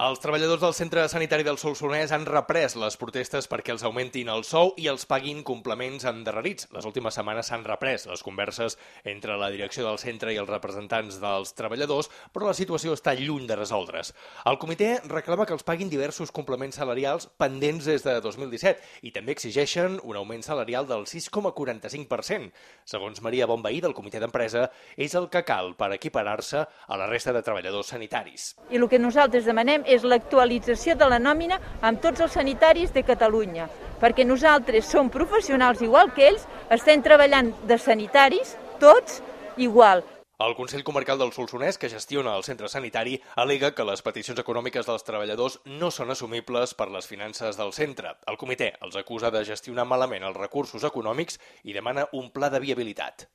Els treballadors del Centre Sanitari del Solsonès han reprès les protestes perquè els augmentin el sou i els paguin complements endarrerits. Les últimes setmanes s'han reprès les converses entre la direcció del centre i els representants dels treballadors, però la situació està lluny de resoldre's. El comitè reclama que els paguin diversos complements salarials pendents des de 2017 i també exigeixen un augment salarial del 6,45%. Segons Maria Bonveí, del comitè d'empresa, és el que cal per equiparar-se a la resta de treballadors sanitaris. I el que nosaltres demanem és l'actualització de la nòmina amb tots els sanitaris de Catalunya, perquè nosaltres som professionals igual que ells, estem treballant de sanitaris, tots igual. El Consell Comarcal del Solsonès, que gestiona el centre sanitari, al·lega que les peticions econòmiques dels treballadors no són assumibles per les finances del centre. El comitè els acusa de gestionar malament els recursos econòmics i demana un pla de viabilitat.